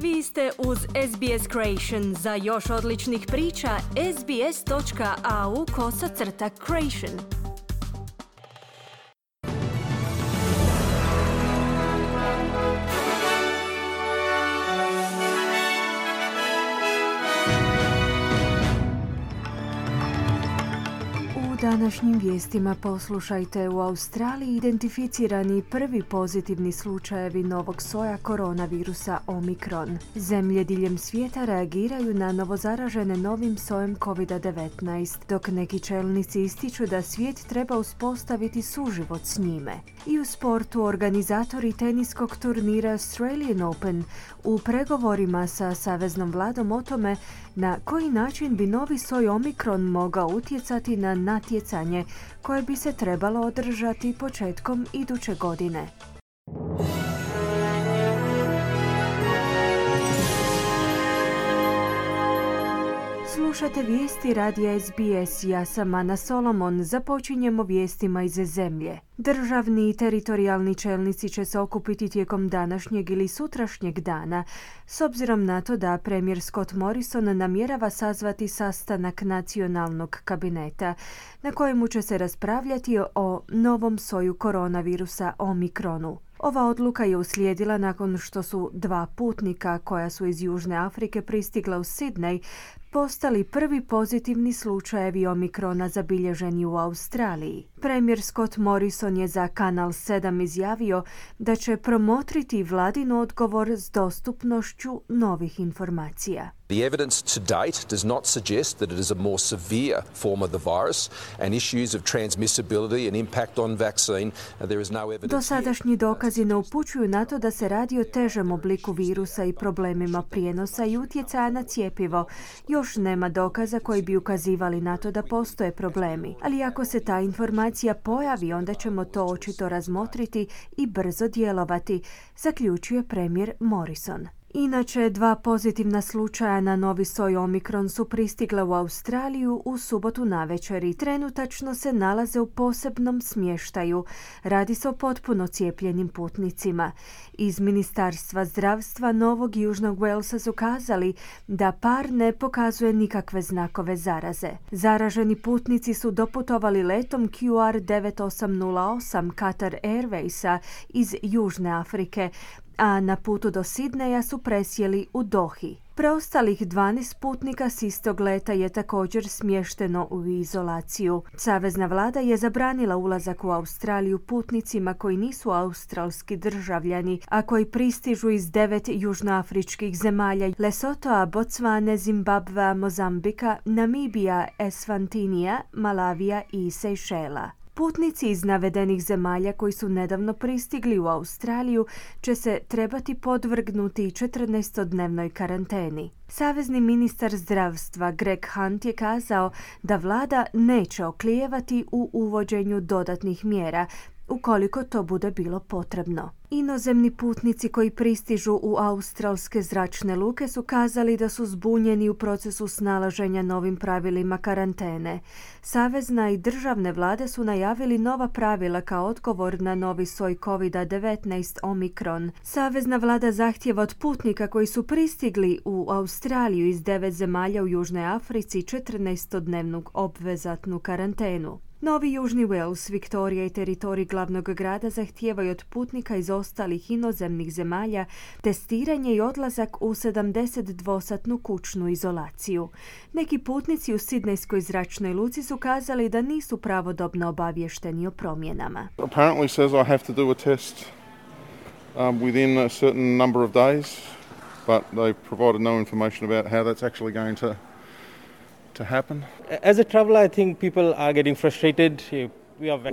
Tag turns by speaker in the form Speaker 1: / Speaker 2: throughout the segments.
Speaker 1: Vi ste uz SBS Creation. Za još odličnih priča, sbs.au/creation. U današnjim vijestima poslušajte: u Australiji identificirani prvi pozitivni slučajevi novog soja koronavirusa Omikron. Zemlje diljem svijeta reagiraju na novozaražene novim sojem COVID-19, dok neki čelnici ističu da svijet treba uspostaviti suživot s njime. I u sportu organizatori teniskog turnira Australian Open u pregovorima sa saveznom vladom o tome na koji način bi novi soj Omikron mogao utjecati na natjecanje koje bi se trebalo održati početkom iduće godine. Slušate vijesti radija SBS. Ja sam Ana Solomon. Započinjemo vijestima iz zemlje. Državni i teritorijalni čelnici će se okupiti tijekom današnjeg ili sutrašnjeg dana, s obzirom na to da premijer Scott Morrison namjerava sazvati sastanak nacionalnog kabineta, na kojemu će se raspravljati o novom soju koronavirusa Omikronu. Ova odluka je uslijedila nakon što su dva putnika koja su iz Južne Afrike pristigla u Sydney postali prvi pozitivni slučajevi Omikrona zabilježeni u Australiji. Premijer Scott Morrison je za Kanal 7 izjavio da će promotriti vladin odgovor s dostupnošću novih informacija.
Speaker 2: The evidence to date does not suggest that it is a more severe form of the virus and issues of transmissibility and impact on vaccine. There is no evidence.
Speaker 1: Dosadašnji dokazi ne upućuju na to da se radi o težem obliku virusa i problemima prijenosa i utjecaja na cjepivo. Još nema dokaza koji bi ukazivali na to da postoje problemi, ali ako se ta informacija pojavi, onda ćemo to očito razmotriti i brzo djelovati, zaključuje premijer Morrison. Inače, dva pozitivna slučaja na novi soj Omikron su pristigla u Australiju u subotu navečer i trenutačno se nalaze u posebnom smještaju. Radi se o potpuno cijepljenim putnicima. Iz Ministarstva zdravstva Novog Južnog Walesa su kazali da par ne pokazuje nikakve znakove zaraze. Zaraženi putnici su doputovali letom QR 9808 Qatar Airwaysa iz Južne Afrike, a na putu do Sidneja su presjeli u Dohi. Preostalih 12 putnika s istog leta je također smješteno u izolaciju. Savezna vlada je zabranila ulazak u Australiju putnicima koji nisu australski državljani, a koji pristižu iz 9 južnoafričkih zemalja: Lesotoa, Bocvane, Zimbabvea, Mozambika, Namibija, Esvantinija, Malavija i Sejšela. Putnici iz navedenih zemalja koji su nedavno pristigli u Australiju će se trebati podvrgnuti 14-dnevnoj karanteni. Savezni ministar zdravstva Greg Hunt je kazao da vlada neće oklijevati u uvođenju dodatnih mjera ukoliko to bude bilo potrebno. Inozemni putnici koji pristižu u australske zračne luke su kazali da su zbunjeni u procesu snalaženja novim pravilima karantene. Savezna i državne vlade su najavili nova pravila kao odgovor na novi soj COVID-19 Omikron. Savezna vlada zahtijeva od putnika koji su pristigli u Australiju iz 9 zemalja u Južnoj Africi 14-dnevnu obvezatnu karantenu. Novi Južni Wales, Viktorija i teritorij glavnog grada zahtijevaju od putnika iz ostalih inozemnih zemalja testiranje i odlazak u 72-satnu kućnu izolaciju. Neki putnici u Sidnejskoj zračnoj luci su kazali da nisu pravodobno obavješteni o promjenama.
Speaker 3: Apparently says I have to do a test within a certain number of days, but they provided no information about how that's actually going to happen.
Speaker 4: As a traveler, I think people are getting frustrated.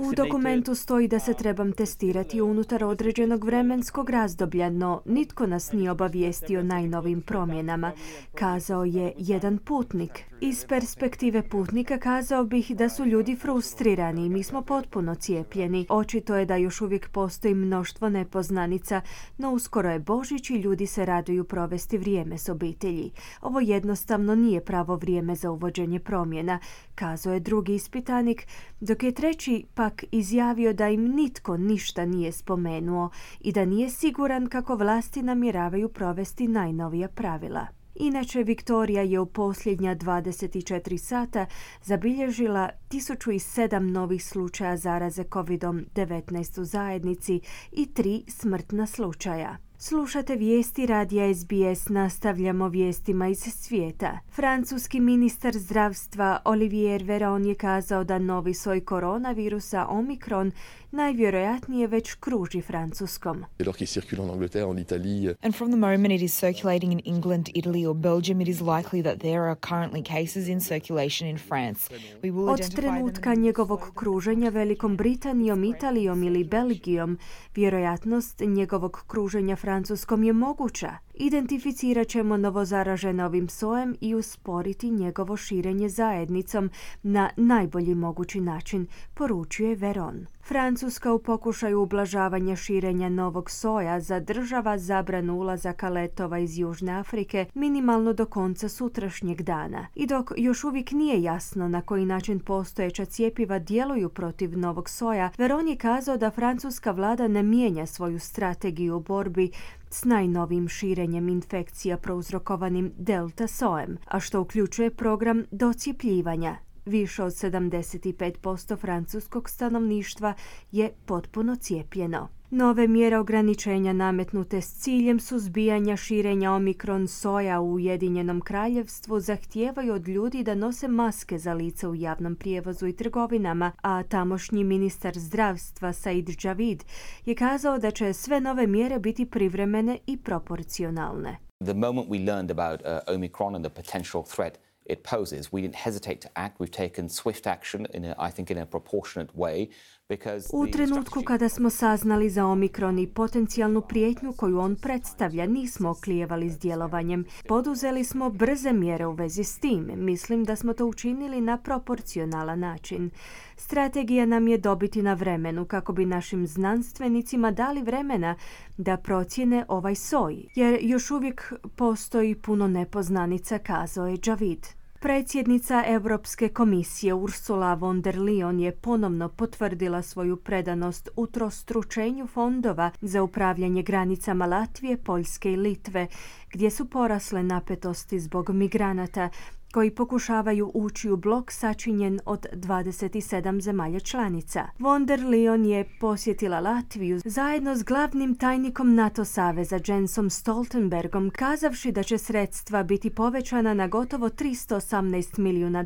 Speaker 1: U dokumentu stoji da se trebam testirati unutar određenog vremenskog razdoblja, no nitko nas nije obavijestio o najnovim promjenama, kazao je jedan putnik. Iz perspektive putnika kazao bih da su ljudi frustrirani i mi smo potpuno cijepljeni. Očito je da još uvijek postoji mnoštvo nepoznanica, no uskoro je Božić i ljudi se raduju provesti vrijeme s obitelji. Ovo jednostavno nije pravo vrijeme za uvođenje promjena, kazao je drugi ispitanik, dok je treći pak izjavio da im nitko ništa nije spomenuo i da nije siguran kako vlasti namjeravaju provesti najnovija pravila. Inače, Viktorija je u posljednja 24 sata zabilježila 1007 novih slučaja zaraze COVID-19 u zajednici i 3 smrtna slučaja. Slušate vijesti radija SBS, nastavljamo vijestima iz svijeta. Francuski ministar zdravstva Olivier Véran je kazao da novi soj koronavirusa Omikron najvjerojatnije već kruži Francuskom.
Speaker 5: And from the moment it is circulating in England, Italy or Belgium, it is likely that there are currently cases in circulation in France.
Speaker 1: Od trenutka njegovog kruženja Velikom Britanijom, Italijom ili Belgijom, vjerojatnost njegovog kruženja Francuskom je moguća. Identificirat ćemo novozaražene ovim sojem i usporiti njegovo širenje zajednicom na najbolji mogući način, poručuje Véran. Francuska u pokušaju ublažavanja širenja novog soja zadržava zabranu ulazaka letova iz Južne Afrike minimalno do konca sutrašnjeg dana. I dok još uvijek nije jasno na koji način postojeća cjepiva djeluju protiv novog soja, Véran je kazao da francuska vlada ne mijenja svoju strategiju u borbi s najnovim širenjem infekcija prouzrokovanim delta sojem, a što uključuje program docjepljivanja. Više od 75% francuskog stanovništva je potpuno cijepljeno. Nove mjere ograničenja nametnute s ciljem suzbijanja širenja Omikron soja u Ujedinjenom Kraljevstvu zahtijevaju od ljudi da nose maske za lice u javnom prijevozu i trgovinama, a tamošnji ministar zdravstva Said Javid je kazao da će sve nove mjere biti privremene i proporcionalne.
Speaker 6: The moment we learned about Omicron and the potential threat it poses, we didn't hesitate to act. We've taken swift action in a proportionate way.
Speaker 1: U trenutku kada smo saznali za Omikron i potencijalnu prijetnju koju on predstavlja, nismo oklijevali s djelovanjem. Poduzeli smo brze mjere u vezi s tim. Mislim da smo to učinili na proporcionalan način. Strategija nam je dobiti na vremenu kako bi našim znanstvenicima dali vremena da procjene ovaj soj, jer još uvijek postoji puno nepoznanica, kazao je Javid. Predsjednica Europske komisije Ursula von der Leyen je ponovno potvrdila svoju predanost utrostručenju fondova za upravljanje granicama Latvije, Poljske i Litve, gdje su porasle napetosti zbog migranata koji pokušavaju ući u blok sačinjen od 27 zemalja članica. Von der Leyen je posjetila Latviju zajedno s glavnim tajnikom NATO saveza Jensom Stoltenbergom, kazavši da će sredstva biti povećana na gotovo $318 milijuna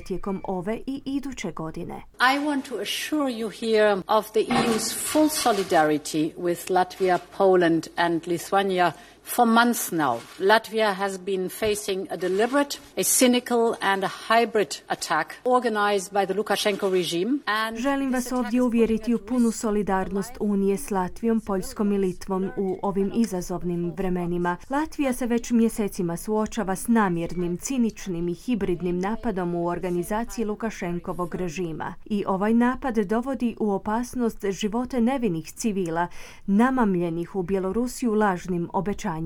Speaker 1: tijekom ove i iduće godine.
Speaker 7: I want to assure you here of the EU's full solidarity with Latvia, Poland and Lithuania. For months now, Latvia has been facing a deliberate, a cynical and a hybrid attack organized by the Lukashenko regime.
Speaker 1: Želim vas ovdje uvjeriti u punu solidarnost Unije s Latvijom, Poljskom i Litvom u ovim izazovnim vremenima. Latvija se već mjesecima suočava s namjernim, ciničnim i hibridnim napadom u organizaciji Lukašenkovog režima. I ovaj napad dovodi u opasnost živote nevinih civila, namamljenih u Bjelorusiju lažnim obećanjima.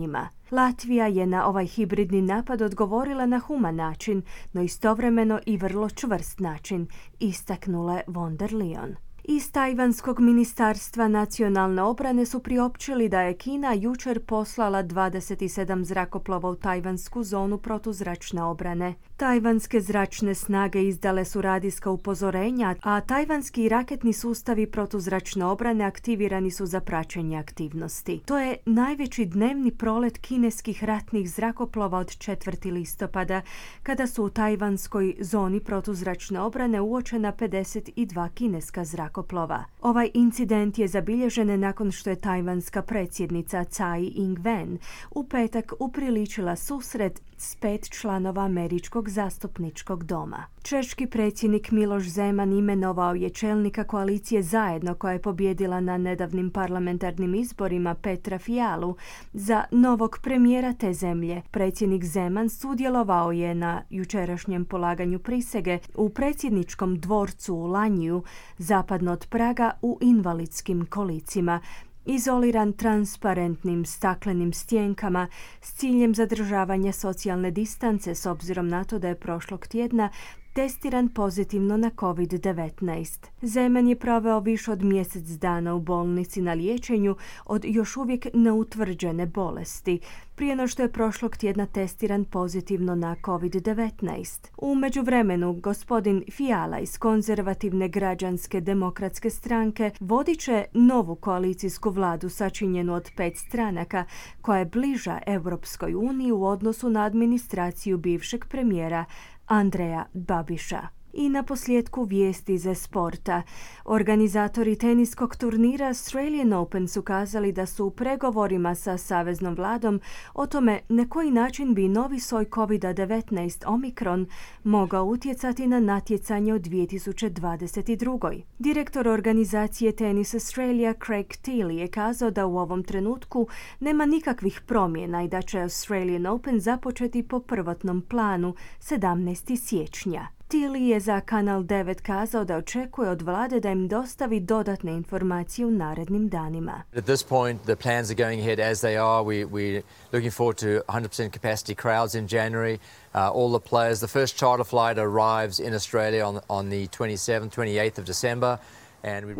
Speaker 1: Latvija je na ovaj hibridni napad odgovorila na human način, no istovremeno i vrlo čvrst način, istaknula je von der Leyen. Iz Tajvanskog ministarstva nacionalne obrane su priopćili da je Kina jučer poslala 27 zrakoplova u tajvansku zonu protuzračne obrane. Tajvanske zračne snage izdale su radijska upozorenja, a tajvanski raketni sustavi protuzračne obrane aktivirani su za praćenje aktivnosti. To je najveći dnevni prolet kineskih ratnih zrakoplova od 4. listopada, kada su u tajvanskoj zoni protuzračne obrane uočena 52 kineska zrakoplova. zrakoplova. Ovaj incident je zabilježen nakon što je tajvanska predsjednica Tsai Ing-wen u petak upriličila susret s 5 članova Američkog zastupničkog doma. Češki predsjednik Miloš Zeman imenovao je čelnika koalicije Zajedno, koja je pobijedila na nedavnim parlamentarnim izborima, Petra Fialu, za novog premijera te zemlje. Predsjednik Zeman sudjelovao je na jučerašnjem polaganju prisege u predsjedničkom dvorcu u Lanjiju, zapadno od Praga, u invalidskim kolicima, izoliran transparentnim staklenim stjenkama s ciljem zadržavanja socijalne distance, s obzirom na to da je prošlog tjedna testiran pozitivno na COVID-19. Zeman je proveo više od mjesec dana u bolnici na liječenju od još uvijek neutvrđene bolesti, prije no što je prošlog tjedna testiran pozitivno na COVID-19. U međuvremenu, gospodin Fiala iz konzervativne građanske demokratske stranke vodit će novu koalicijsku vladu sačinjenu od 5 stranaka, koja je bliža Europskoj uniji u odnosu na administraciju bivšeg premijera Andreja Babiša. I na posljedku vijesti za sporta. Organizatori teniskog turnira Australian Open su kazali da su u pregovorima sa saveznom vladom o tome na koji način bi novi soj COVID-19 Omikron mogao utjecati na natjecanje u 2022. Direktor organizacije Tennis Australia Craig Tiley je kazao da u ovom trenutku nema nikakvih promjena i da će Australian Open započeti po prvotnom planu 17. siječnja. Tiley je za Kanal 9 kazao da očekuje od vlade da im dostavi dodatne informacije u narednim danima.
Speaker 8: At this point, the plans are going ahead as they are. We're looking forward to 100% capacity crowds in January. All the players, the first charter flight arrives in Australia on the 27th, 28th of December.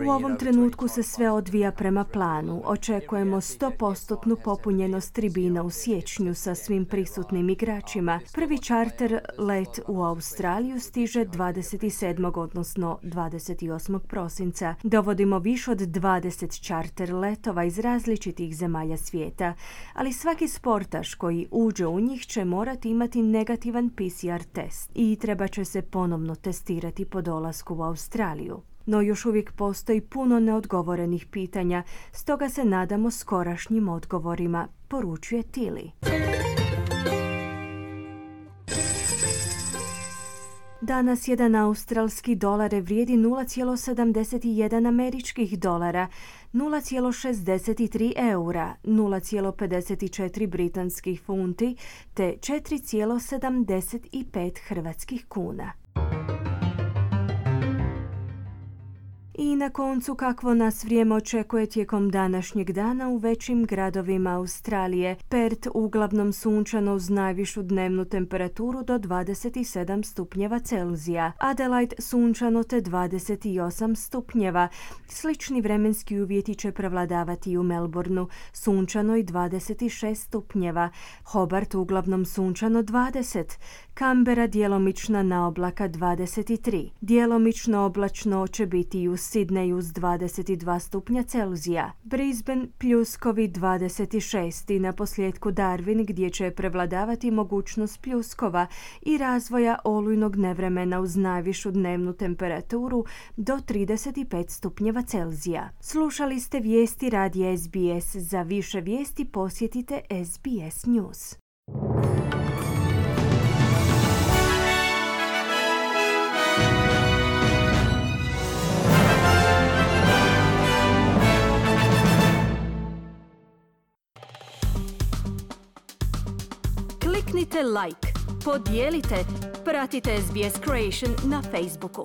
Speaker 1: U ovom trenutku se sve odvija prema planu. Očekujemo 100% popunjenost tribina u siječnju sa svim prisutnim igračima. Prvi čarter let u Australiju stiže 27. odnosno 28. prosinca. Dovodimo više od 20 čarter letova iz različitih zemalja svijeta, ali svaki sportaš koji uđe u njih će morati imati negativan PCR test i treba će se ponovno testirati po dolasku u Australiju. No još uvijek postoji puno neodgovorenih pitanja, stoga se nadamo skorašnjim odgovorima, poručuje Tiley. Danas jedan australski dolar vrijedi 0,71 američkih dolara, 0,63 eura, 0,54 britanskih funti te 4,75 hrvatskih kuna. I na koncu, kakvo nas vrijeme očekuje tijekom današnjeg dana u većim gradovima Australije. Perth uglavnom sunčano uz najvišu dnevnu temperaturu do 27 stupnjeva Celzija. Adelaide sunčano te 28 stupnjeva. Slični vremenski uvjeti će prevladavati i u Melbourneu, sunčano i 26 stupnjeva. Hobart uglavnom sunčano 20. Canberra djelomična na oblaka 23. Djelomično oblačno će biti i u Sydney uz 22 stupnja Celzija. Brisbane pljuskovi 26 i na posljedku Darwin gdje će prevladavati mogućnost pljuskova i razvoja olujnog nevremena uz najvišu dnevnu temperaturu do 35 stupnjeva Celzija. Slušali ste vijesti radija SBS. Za više vijesti posjetite SBS News. Kliknite like, podijelite, pratite SBS Creation na Facebooku.